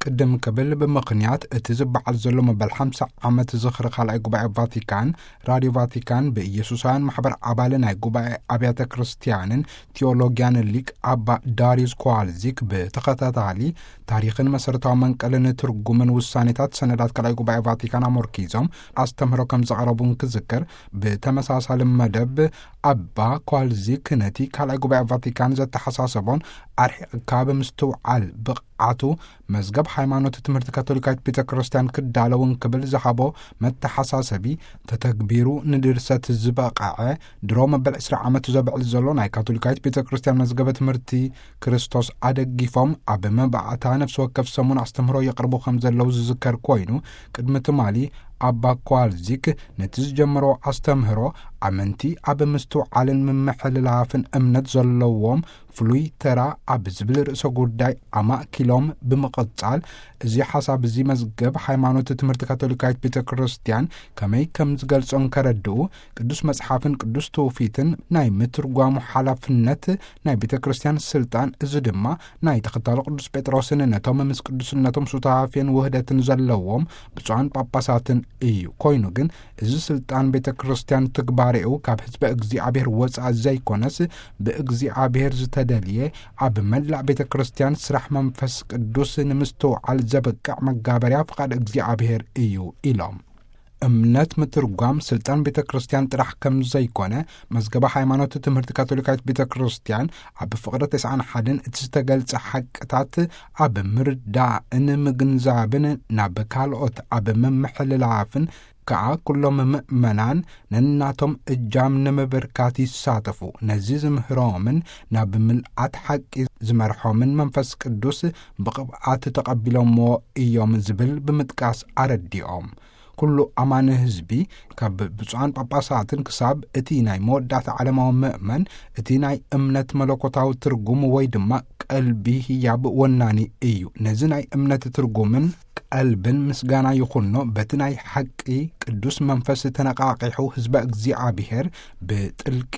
ቅድም ክብል፣ ብምኽንያት እቲ ዝበዓል ዘሎ መበል ሓምሳ ዓመት ዝኽሪ ካልኣይ ጉባኤ ቫቲካን፣ ራድዮ ቫቲካን ብኢየሱሳውያን ማሕበር ኣባል ናይ ጉባኤ ኣብያተ ክርስቲያንን ቲዮሎጊያን ሊቅ ኣባ ዳሪዩስ ኮዋልዚክ ብተኸታታሊ ታሪኽን መሰረታዊ መንቀልን ትርጉምን ውሳኔታት ሰነዳት ካልኣይ ጉባኤ ቫቲካን ኣመርኪዞም ኣስተምህሮ ከም ዘቕረቡ እንክዝከር፣ ብተመሳሳሊ መደብ ኣባ ኮዋልዚክ ነቲ ካልኣይ ጉባኤ ቫቲካን ዘተሓሳሰቦን ኣርሒቕካ ብምስትውዓል ብቕዓቱ መዝገብ ሃይማኖት ትምህርቲ ካቶሊካዊት ቤተ ክርስቲያን ክዳለውን ክብል ዝሃቦ መተሓሳሰቢ፣ ተተግቢሩ ንድርሰት ዝበቕዐ፣ ድሮ መበል ዕስራ ዓመቱ ዘብዕል ዘሎ ናይ ካቶሊካዊት ቤተ ክርስቲያን መዝገበ ትምህርቲ ክርስቶስ ኣደጊፎም ኣብ መባእታ ነፍሲ ወከፍ ሰሙን ኣስተምህሮ የቕርቡ ከም ዘለዉ ዝዝከር ኮይኑ፣ ቅድሚ ትማሊ ኣባ ኮዋልዚክ ነቲ ዝጀመሮ ኣስተምህሮ፣ ኣመንቲ ኣብ ምስትውዓልን ምምሕልላፍን እምነት ዘለዎም ፍሉይ ተራ ኣብ ዝብል ርእሰ ጉዳይ ኣማእኪሎም ብምቕጻል፣ እዚ ሓሳብ እዚ መዝገብ ሃይማኖት ትምህርቲ ካቶሊካዊት ቤተ ክርስቲያን ከመይ ከም ዝገልጾ እንከረድኡ፣ ቅዱስ መጽሓፍን ቅዱስ ትውፊትን ናይ ምትርጓሙ ሓላፍነት ናይ ቤተ ክርስቲያን ስልጣን፣ እዚ ድማ ናይ ተኸታሎ ቅዱስ ጴጥሮስን ነቶም ምስ ቅዱስነቶም ሱታፌን ውህደትን ዘለዎም ብፁዓን ጳጳሳትን እዩ። ኮይኑ ግን፣ እዚ ስልጣን ቤተ ክርስቲያን ትግባሬኡ ካብ ህዝበ እግዚኣብሔር ወፃእ ዘይኮነስ፣ ብእግዚኣብሔር ዝተደልየ፣ ኣብ መላእ ቤተ ክርስቲያን ስራሕ መንፈስ ቅዱስ ንምስትውዓል ዘበቅዕ መጋበርያ ፍቓድ እግዚኣብሔር እዩ ኢሎም። እምነት ምትርጓም ስልጣን ቤተ ክርስቲያን ጥራሕ ከም ዘይኮነ፣ መዝገበ ሃይማኖት ትምህርቲ ካቶሊካዊት ቤተ ክርስቲያን ኣብ ፍቕሪ ተስዓን ሓደን እቲ ዝተገልጸ ሓቅታት ኣብ ምርዳእን ምግንዛብን፣ ናብ ካልኦት ኣብ ምምሕልላፍን ከኣ ኩሎም ምእመናን ነናቶም እጃም ንምብርካት ይሳተፉ። ነዚ ዝምህሮምን ናብ ምልኣት ሓቂ ዝመርሖምን መንፈስ ቅዱስ ብቕብኣት ተቐቢሎምዎ እዮም ዝብል ብምጥቃስ ኣረዲኦም። ኩሉ ኣማኒ ህዝቢ፣ ካብ ብፁዓን ጳጳሳትን ክሳብ እቲ ናይ መወዳእታ ዓለማዊ ምእመን፣ እቲ ናይ እምነት መለኮታዊ ትርጉም ወይ ድማ ቀልቢ ህያብ ወናኒ እዩ። ነዚ ናይ እምነት ትርጉምን ቀልብን ምስጋና ይኹኖ፣ በቲ ናይ ሓቂ ቅዱስ መንፈስ ተነቃቂሑ ህዝበ እግዚኣብሔር ብጥልቂ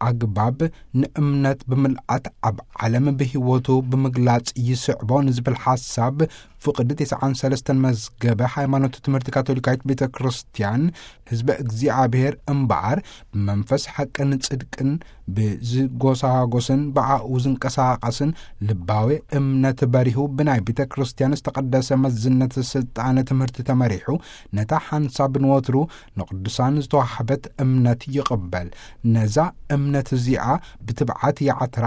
ኣግባብ ንእምነት ብምልኣት ኣብ ዓለም ብህይወቱ ብምግላጽ ይስዕቦ ንዝብል ሓሳብ፣ ፍቕዲ ተስዓን ሰለስተን መዝገበ ሃይማኖት ትምህርቲ ካቶሊካዊት ቤተ ክርስቲያን፣ ህዝበ እግዚኣብሔር እምበኣር ብመንፈስ ሓቅን ጽድቅን ብዝጎሳጎስን ብኣኡ ዝንቀሳቐስን ልባዊ እምነት በሪሁ፣ ብናይ ቤተ ክርስቲያን ዝተቐደሰ መዝነት ስልጣነ ትምህርቲ ተመሪሑ፣ ነታ ሓንሳብ ንወትሩ ንቅዱሳን ዝተዋህበት እምነት ይቕበል። ነዛ እምነት እዚኣ ብትብዓት ይዓትራ፣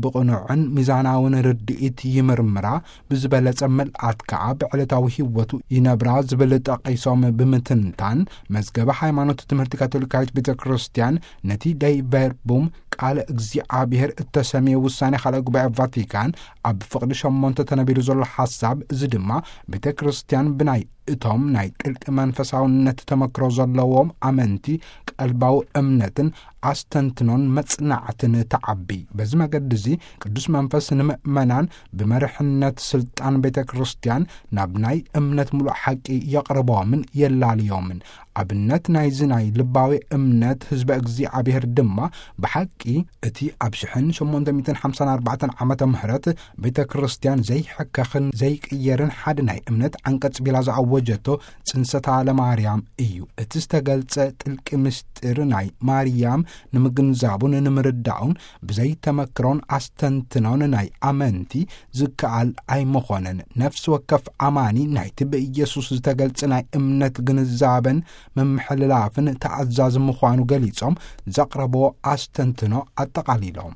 ብቕኑዕን ሚዛናውን ርድኢት ይምርምራ፣ ብዝበለጸ ምልኣት ከኣ ብዕለታዊ ህይወቱ ይነብራ ዝብል ጠቒሶም ብምትንታን፣ መዝገበ ሃይማኖት ትምህርቲ ካቶሊካዊት ቤተ ክርስቲያን ነቲ ደይ ቨርቡም ቃለ እግዚኣብሔር እተሰምየ ውሳኔ ካልኣይ ጉባኤ ቫቲካን ኣብ ፍቕዲ ሸሞንተ ተነቢሩ ዘሎ ሓሳብ፣ እዚ ድማ ቤተ ክርስቲያን ብናይ እቶም ናይ ጥልቂ መንፈሳውነት ተመክሮ ዘለዎም ኣመንቲ ቀልባዊ እምነትን ኣስተንትኖን መጽናዕትን ተዓቢ። በዚ መገዲ እዚ ቅዱስ መንፈስ ንምእመናን ብመርሕነት ስልጣን ቤተ ክርስቲያን ናብ ናይ እምነት ምሉእ ሓቂ የቕርቦምን የላልዮምን። ኣብነት ናይዚ ናይ ልባዊ እምነት ህዝበ እግዚኣብሔር ድማ ብሓቂ እቲ ኣብ ሽሕን ሸሞንተ ሚእትን ሓምሳን ኣርባዕተን ዓመተ ምህረት ቤተ ክርስቲያን ዘይሕከኽን ዘይቅየርን ሓደ ናይ እምነት ዓንቀጽ ቢላ ዝኣወጀቶ ጽንሰታ ለማርያም እዩ። እቲ ዝተገልጸ ጥልቂ ምስጢር ናይ ማርያም ንምግንዛቡን ንምርዳኡን ብዘይ ተመክሮን ኣስተንትኖን ናይ ኣመንቲ ዝከኣል ኣይምኾነን። ነፍሲ ወከፍ ኣማኒ ናይቲ ብኢየሱስ ዝተገልጸ ናይ እምነት ግንዛበን ምምሕልላፍን ተኣዛዚ ምዃኑ ገሊጾም ዘቕረብዎ ኣስተንትኖ ኣጠቓሊሎም።